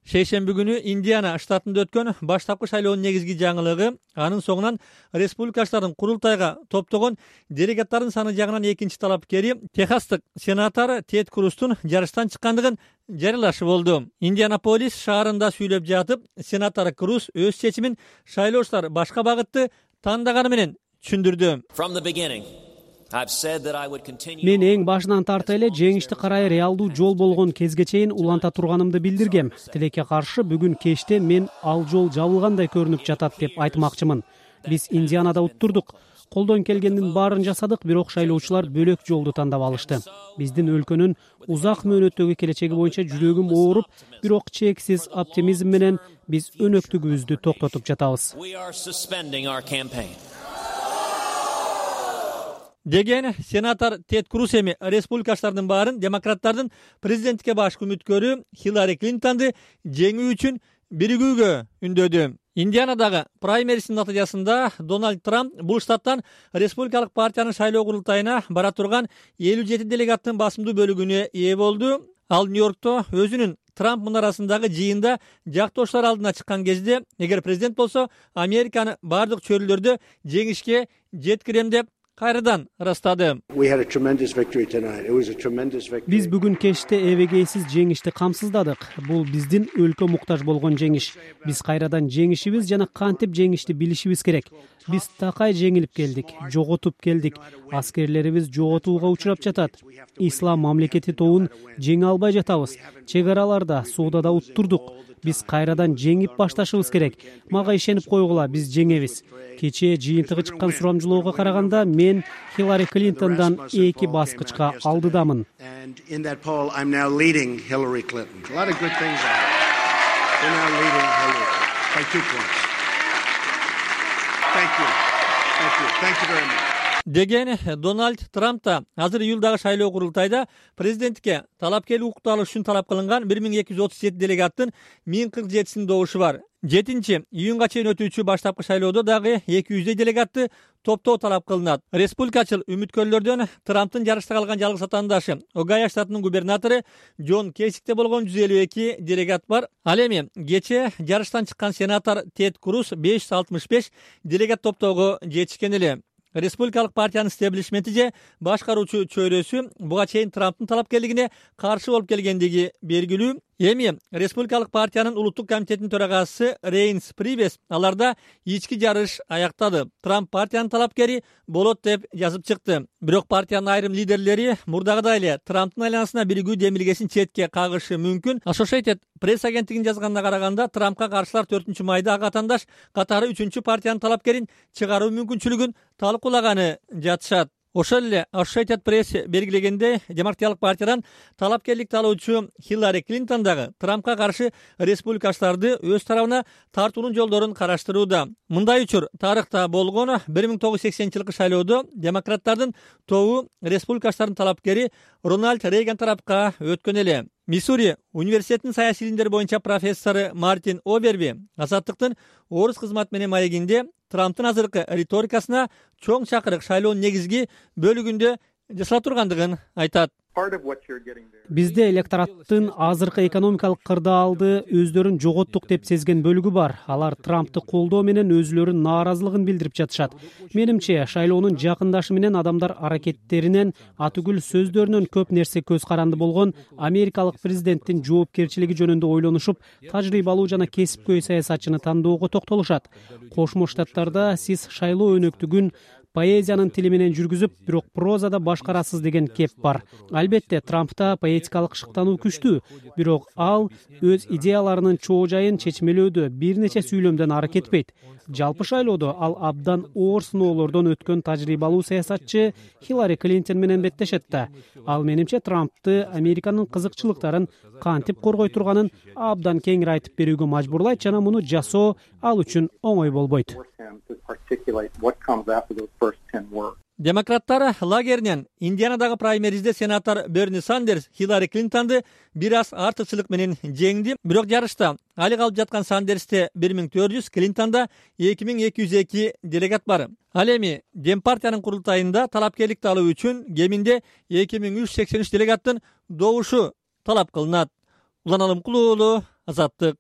Шейшемби күнү Индиана штатында өткөн баштапкы шайлоонун негизги жаңылыгы анын соңунан республикачылардын курултайга топтогон делегаттардын саны жагынан экинчи талапкери Техастык сенатор Тед Крустун жарыштан чыккандыгын жарыялашы болду. Индианаполис шаарында сүйлөп жатып, сенатор Круз өз чечимин шайлоочулар башка багытты тандаганы менен түшүндүрдү. Мен эң башынан тарта эле жеңишти карай реалдуу жол болгон кезге чейин уланта турганымды билдиргем. Тилекке каршы бүгүн кечте мен ал жол жабылгандай көрүнүп жатат деп айтмакчымын. Биз Индианада уттурдук. Колдон келгендин баарын жасадык, бирок шайлоочулар бөлөк жолду тандап алышты. Биздин өлкөнүн узак мөөнөттөгү келечеги боюнча жүрөгүм ооруп, бирок чексиз оптимизм менен биз өнөктүгүбүздү токтотуп жатабыз. Деген сенатор Тед Круз эми республикачылардын баарын демократтардын президенттикке башкы үмүткөрү Хиллари Клинтонду жеңүү үчүн биригүүгө үндөдү. Индианадагы праймерисинин натыйжасында Дональд Трамп бул штаттан республикалык партиянын шайлоо курултайына бара турган 57 делегаттын басымдуу бөлүгүнө ээ болду. Ал Нью-Йоркто өзүнүн Трамп мунарасындагы жыйында жактоочулар алдына чыккан кезде, эгер президент болсо, Американы бардык чөйрөлөрдө жеңишке жеткирем деп кайрадан ырастады. Биз бүгүн кечте эбегейсиз жеңишти камсыздадык. Бул биздин өлкө муктаж болгон жеңиш. Биз кайрадан жеңишибиз жана кантип жеңишти билишибиз керек. Биз такай жеңилип келдик, жоготуп келдик. Аскерлерибиз жоготууга учурап жатат. Ислам мамлекети тобун жеңе албай жатабыз. Чек араларда, суудада уттурдук. Биз кайрадан жеңип башташыбыз керек. Мага ишенип койгула, биз жеңебиз. Кечээ жыйынтыгы чыккан сурамжылоого караганда мен Хиллари Клинтондан 2 баскычка алдыдамын. Деген Дональд Трамп да азыр июлдагы шайлоо курултайда президенттикке талапкерлик укукту алыш үчүн талап кылынган 1237 делегаттын 1047синин добушу бар. 7-июнга чейин өтүүчү баштапкы шайлоодо дагы 200 делегатты топтоо талап кылынат. Республикачыл үмүткөрлөрдөн Трамптын жарышта калган жалгыз атаандашы Огайо штатынын губернатору Джон Кесикте болгон 152 делегат бар. Ал эми кечээ жарыштан чыккан сенатор Тед Круз 565 делегат топтоого жетишкен эле. Республикалык партиянын стеблишменти же башкаруучу чөйрөсү буга чейин Трамптын талапкерлигине каршы болуп келгендиги белгилүү. Эми Республикалык партиянын улуттук комитетинин төрагасы Рейнс Прибес аларда ички жарыш аяктады. Трамп партиянын талапкери болот деп жазып чыкты. Бирок партиянын айрым лидерлери мурдагыдай эле Трамптын айланасына биригүү демилгесин четке кагышы мүмкүн. Associated Press агенттигинин жазганына караганда, Трампка каршылар 4-майда ак атаандаш катары 3-чү партиянын талапкерин чыгаруу мүмкүнчүлүгүн талкуулаганы жатышат. Ошол эле Associated Press белгилегендей, Демократиялык партиядан талапкерлик алуучу Хиллари Клинтон дагы Трампка каршы республикачыларды өз тарабына тартуунун жолдорун караштырууда. Мындай учур тарыхта болгон. 1980-жылкы шайлоодо демократтардын тобу республикачылардын талапкери Рональд Рейган тарапка өткөн эле. Миссури университетинин саясий илимдер боюнча профессору Мартин Оберби Азаттыктын орус кызмат менен маегинде Трамптын азыркы риторикасына чоң чакырык шайлоонун негизги бөлүгүндө жасала тургандыгын айтат. Бизде электораттын азыркы экономикалык кырдаалды өздөрүн жоготтук деп сезген бөлүгү бар. Алар Трампты колдоо менен өзүлөрүнүн нааразылыгын билдирип жатышат. Менимче, шайлоонун жакындашы менен адамдар аракеттеринен, атүгүл сөздөрүнөн көп нерсе көз каранды болгон америкалык президенттин жоопкерчилиги жөнүндө ойлонушуп, тажрыйбалуу жана кесипкөй саясатчыны тандоого токтолушат. Кошмо Штаттарда сиз шайлоо өнөктүгүн поэзиянын тили менен жүргүзүп, бирок прозада башкарасыз деген кеп бар. Албетте, Трампта поэтикалык шыктануу күчтүү, бирок ал өз идеяларынын чоо жайын чечмелөөдө бир нече сүйлөмдөн ары кетпейт. Жалпы шайлоодо ал абдан оор сыноолордон өткөн тажрыйбалуу саясатчы Хиллари Клинтон менен беттешет да. Ал менимче Трампты Американын кызыкчылыктарын кантип коргой турганын абдан кеңири айтып берүүгө мажбурлайт жана муну жасоо ал үчүн оңой болбойт. Демократтар лагеринен Индианадагы праймеризде сенатор Берни Сандерс Хиллари Клинтонду бир аз артыкчылык менен жеңди. Бирок жарышта али калып жаткан Сандерсте 1400, Клинтонда 2202 делегат бар. Ал эми Дем партиянын курултайында талапкерликти алуу үчүн кеминде 2383 делегаттын добушу талап кылынат. Улан Алымкулуу, Азаттык.